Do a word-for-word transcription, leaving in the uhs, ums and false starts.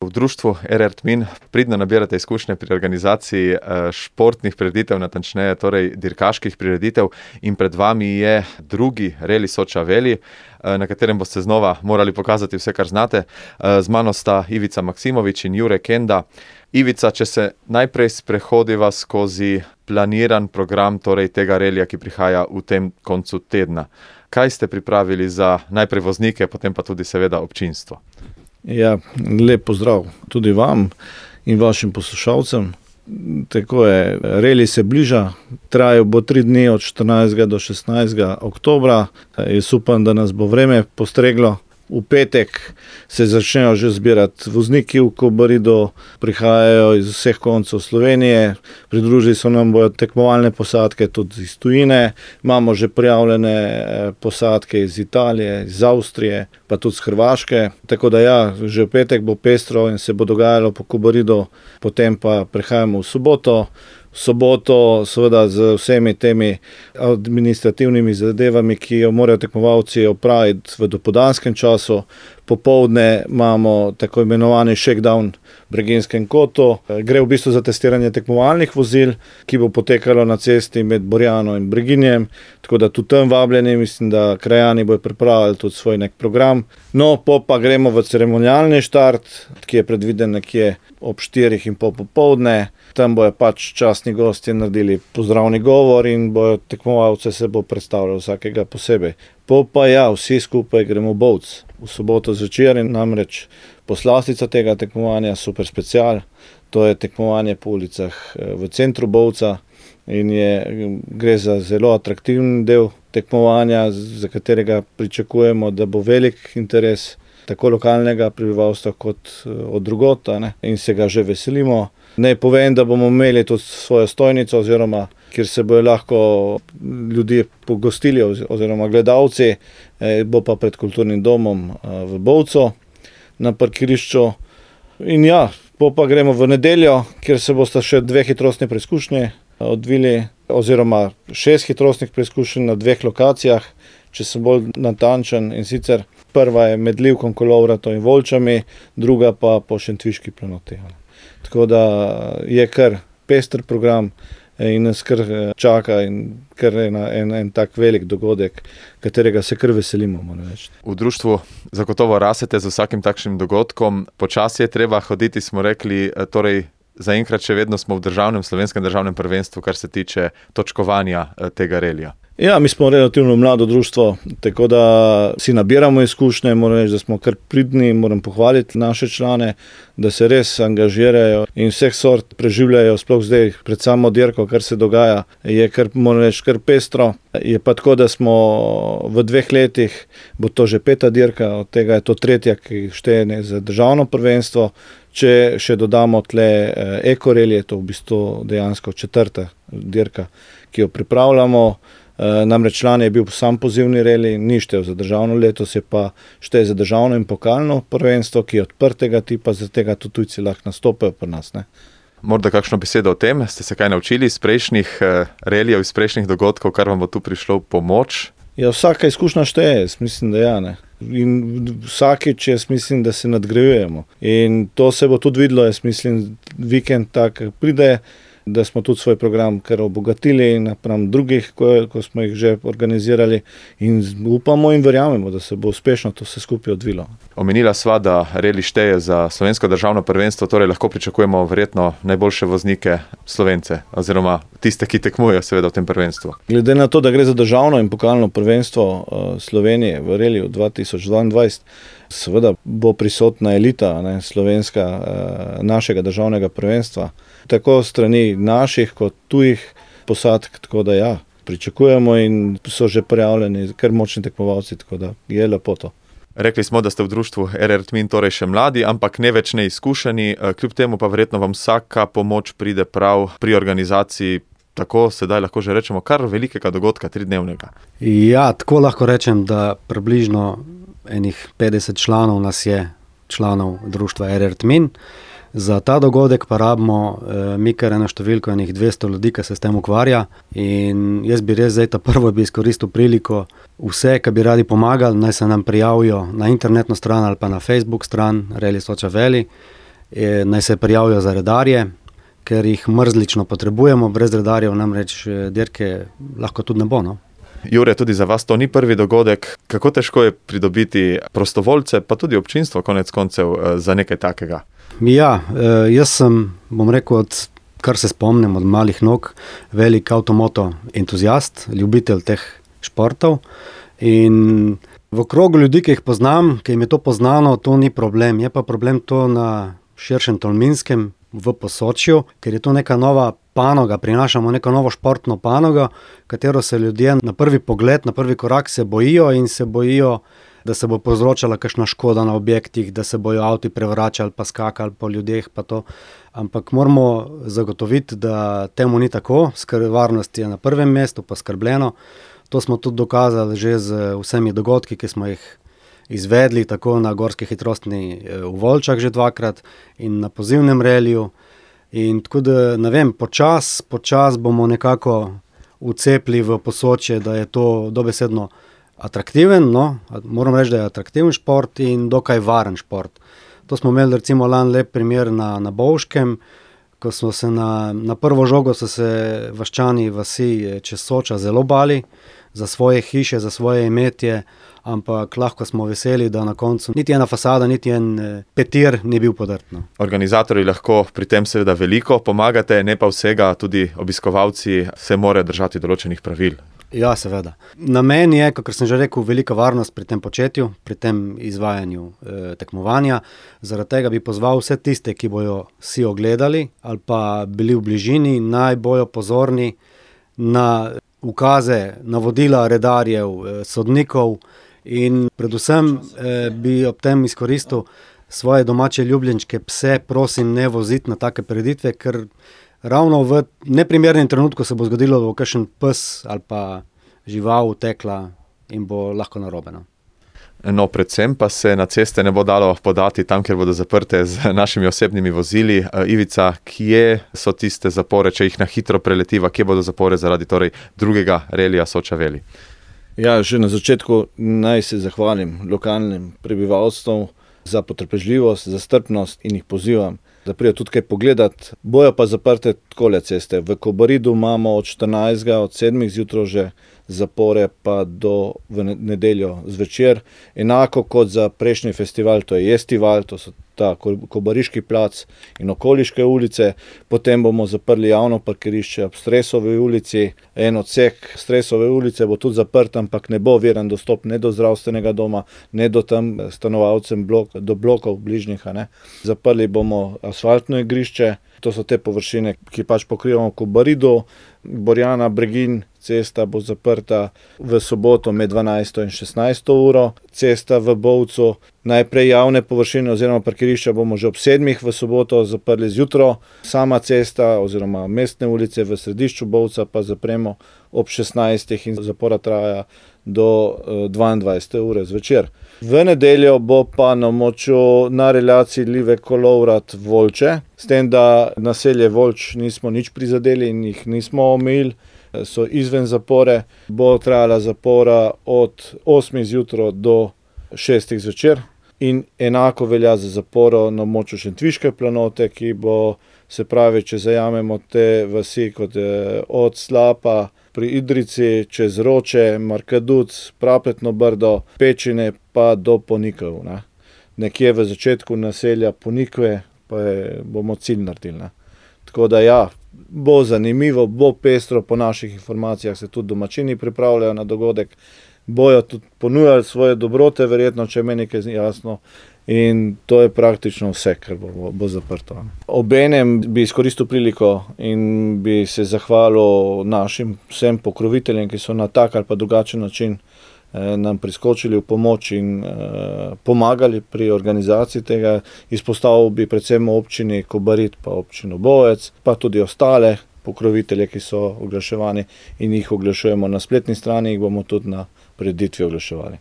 V društvu R R Tmin pridno nabirate izkušnje pri organizaciji športnih prireditev, natančneje torej dirkaških prireditev, in pred vami je drugi Reli Soča Veli, na katerem boste znova morali pokazati vse, kar znate. Z mano sta Ivica Maksimovič in Jure Kenda. Ivica, če se najprej sprehodiva skozi planiran program torej tega relija, ki prihaja v tem koncu tedna. Kaj ste pripravili za najprej voznike, potem pa tudi seveda občinstvo? Ja, lep pozdrav tudi vam in vašim poslušalcem. Tako je, reli se bliža, trajal bo tri dni od štirinajstega do šestnajstega oktobra. Jaz upam, da nas bo vreme postreglo. V petek se začnejo že zbirati vozniki v Kobaridu, prihajajo iz vseh koncev Slovenije, pridružili so nam bojo tekmovalne posadke tudi iz tujine, imamo že prijavljene posadke iz Italije, iz Avstrije, pa tudi z Hrvaške. Tako da ja, že v petek bo pestro in se bo dogajalo po Kobaridu, potem pa prehajamo v soboto. V soboto seveda z vsemi temi administrativnimi zadevami, ki jo morajo tekmovalci opraviti v dopoldanskem času. Popoldne imamo tako imenovani shakedown v Breginjskem kotu. Gre v bistvu za testiranje tekmovalnih vozil, ki bo potekalo na cesti med Borjano in Breginjem. Tako da tudi tam vabljeni, mislim, da krajani bojo pripravili tudi svoj nek program. No, po pa gremo v ceremonialni štart, ki je predviden nekje ob štirih in pol popoldne. Tam bojo pač častni gostje naredili pozdravni govor in bojo tekmovalce se bo predstavljalo vsakega posebej. Po pa ja, vsi skupaj gremo v Bovec. V soboto zvečer in namreč poslastica tega tekmovanja Super Special. To je tekmovanje po ulicah v centru Bovca in je, gre za zelo atraktiven del tekmovanja, za katerega pričakujemo, da bo velik interes tako lokalnega prebivalstva kot od drugot, ne? In se ga že veselimo. Naj povem, da bomo imeli tudi svojo stojnico, oziroma kjer se bojo lahko ljudje pogostili oziroma gledalci, bo pa pred kulturnim domom v Bovcu na parkirišču. In ja, po pa gremo v nedeljo, kjer se bosta še dve hitrostni preizkušnji odvili, oziroma šest hitrostnih preizkušenj na dveh lokacijah, če sem bolj natančen, in sicer prva je med Livkom, Kolovrato in Volčami, druga pa po Šentviški planoti. Tako da je kar pester program in nas kar čaka in kar en, en, en tak velik dogodek, katerega se kar veselimo, moram reči. V društvu zagotovo rasete z vsakim takšnim dogodkom. Počasi je treba hoditi, smo rekli, torej zaenkrat še vedno smo v državnem, slovenskem državnem prvenstvu, kar se tiče točkovanja tega relija. Ja, mi smo relativno mlado društvo, tako da si nabiramo izkušnje, moram reči, da smo kar pridni, moram pohvaliti naše člane, da se res angažirajo in vseh sort preživljajo, sploh zdaj pred samo dirko, kar se dogaja, je kar, moram reči, kar pestro. Je pa tako, da smo v dveh letih, bo to že peta dirka, od tega je to tretja, ki šteje za državno prvenstvo. Če še dodamo tle ekorelije, to v bistvu dejansko četrta dirka, ki jo pripravljamo. Namreč član je bil sam pozivni reli, ni štel za državno, letos je pa šteje za državno in pokalno prvenstvo, ki je odprtega tipa, zaradi tega tudi tujci lahko nastopajo pri nas, ne. Morda kakšno besedo o tem? Ste se kaj naučili iz prejšnjih relijev, iz prejšnjih dogodkov, kar vam bo tu prišlo v pomoč? Ja, vsaka izkušnja šteje, jaz mislim, da ja, ne. In vsakič jaz mislim, da se nadgrajujemo. In to se bo tudi videlo, jaz mislim, vikend tak pride, da smo tudi svoj program kar obogatili napram drugih, ko, ko smo jih že organizirali, in upamo in verjamemo, da se bo uspešno to vse skupaj odvilo. Omenila sva, da reli šteje za slovensko državno prvenstvo, torej lahko pričakujemo verjetno najboljše voznike Slovence, oziroma tiste, ki tekmujejo seveda v tem prvenstvu. Glede na to, da gre za državno in pokalno prvenstvo Slovenije v reliju dva tisoč dvaindvajset, seveda bo prisotna elita, ne, slovenska, našega državnega prvenstva, tako strani naših kot tujih posadk, tako da ja, pričakujemo in so že prijavljeni kar močni tekmovalci, tako da je lepo to. Rekli smo, da ste v društvu R R Tmin torej še mladi, ampak ne več neizkušeni, kljub temu pa verjetno vam vsaka pomoč pride prav pri organizaciji, tako sedaj lahko že rečemo, kar velikega dogodka, tridnevnega. Ja, tako lahko rečem, da približno enih petdeset članov nas je, članov društva R R Tmin. Za ta dogodek pa rabimo eh, mi kar eno številko, enih dvesto ljudi, ki se s tem ukvarja, in jaz bi res zdaj ta prvo bi izkoristil priliko vse, ki bi radi pomagali, naj se nam prijavijo na internetno stran ali pa na Facebook stran Reli Soča Veli. je, naj se prijavijo za redarje, ker jih mrzlično potrebujemo, brez redarjev namreč dirke lahko tudi ne bo. No? Jure, tudi za vas to ni prvi dogodek. Kako težko je pridobiti prostovoljce, pa tudi občinstvo konec koncev za nekaj takega? Ja, jaz sem, bom rekel, od, kar se spomnim od malih nog, velik avtomoto entuzijast, ljubitelj teh športov in v krogu ljudi, ki jih poznam, ki jim je to poznano, to ni problem. Je pa problem to na širšem Tolminskem, v Posočju, ker je to neka nova panoga, prinašamo neko novo športno panogo, katero se ljudje na prvi pogled, na prvi korak se bojijo in se bojijo, da se bo povzročala kakšna škoda na objektih, da se bojo avti prevračali pa skakali po ljudeh pa to. Ampak moramo zagotoviti, da temu ni tako, varnost je na prvem mestu, pa skrbljeno. To smo tudi dokazali že z vsemi dogodki, ki smo jih izvedli, tako na gorski hitrostni v Volčah že dvakrat in na pozivnem reliju. In tako da, ne vem, počas, počas bomo nekako vcepli v Posočje, da je to dobesedno atraktiven, no, moram reči, da je atraktiven šport in dokaj varen šport. To smo imeli recimo lani lep primer na, na Bovškem, ko smo se na, na prvo žogo so se vaščani vasi čez Soča zelo bali za svoje hiše, za svoje imetje, ampak lahko smo veseli, da na koncu niti ena fasada, niti en petir ni bil podrt. No. Organizatorji lahko pri tem seveda veliko pomagate, ne pa vsega, tudi obiskovalci se morajo držati določenih pravil. Ja, seveda. Namen je, kakor sem že rekel, velika varnost pri tem početju, pri tem izvajanju e, tekmovanja. Zaradi tega bi pozval vse tiste, ki bojo si ogledali ali pa bili v bližini, naj bojo pozorni na ukaze, navodila redarjev, e, sodnikov in predvsem e, bi ob tem izkoristil svoje domače ljubljenčke pse, prosim, ne voziti na take prireditve, ker ravno v neprimernem trenutku se bo zgodilo, da bo kakšen pes ali pa žival utekla in bo lahko narobe. No. No, predvsem pa se na ceste ne bo dalo podati tam, kjer bodo zaprte z našimi osebnimi vozili. Ivica, kje so tiste zapore, če jih na hitro preletiva, kje bodo zapore zaradi torej drugega relija Soča-Veli? Ja, že na začetku naj se zahvalim lokalnim prebivalstvom za potrpežljivost, za strpnost in jih pozivam, da prijo tudi kaj pogledati. Bojo pa zaprte takole ceste. V Kobaridu imamo od štirinajstega, od sedmih zjutraj že zapore pa do v nedeljo zvečer. Enako kot za prejšnji festival, to je Jestival, to so ta Kobariški plac in okoliške ulice. Potem bomo zaprli javno parkirišče ob Stresovi ulici. En odsek Stresove ulice bo tudi zaprt, ampak ne bo oviran dostop ne do zdravstvenega doma, ne do tam stanovalcem blok, do blokov bližnjih. Ne. Zaprli bomo asfaltno igrišče, to so te površine, ki pač pokrivamo v Kobaridu. Borjana Bregin cesta bo zaprta v soboto med dvanajsto in šestnajsto uro. Cesta v Bovcu, najprej javne površine oziroma parkirišča bomo že ob sedmih v soboto zaprli zjutro. Sama cesta oziroma mestne ulice v središču Bovca pa zapremo ob šestnajstih in zapora traja do dvaindvajsete ure zvečer. V nedeljo bo pa na Moču na relaciji Livek-Kolovrat-Volče, s tem, da naselje Volč nismo nič prizadeli in jih nismo omejili, so izven zapore, bo trajala zapora od osmih zjutraj do šestih zvečer in enako velja za zaporo na Moču Šentviške planote, ki bo, se pravi, če zajamemo te vasi kot je od Slapa pri Idrici, čez Roče, Markaduc, Prapletno Brdo, Pečine pa do Ponikov. Ne. Nekje v začetku naselja Ponikve pa je, bomo cilj naredili. Ne. Tako da ja, bo zanimivo, bo pestro, po naših informacijah se tudi domačini pripravljajo na dogodek, bojo tudi ponujali svoje dobrote, verjetno, če meni nekaj jasno. In to je praktično vse, kar bo, bo zaprto. Obenem bi izkoristil priliko in bi se zahvalil našim vsem pokroviteljem, ki so na tak ali pa drugačen način eh, nam priskočili v pomoč in eh, pomagali pri organizaciji tega. Izpostavil bi predvsem občini Kobarid pa občino Bovec, pa tudi ostale pokrovitelje, ki so oglaševani in jih oglašujemo na spletni strani, jih bomo tudi na prireditvi oglaševali.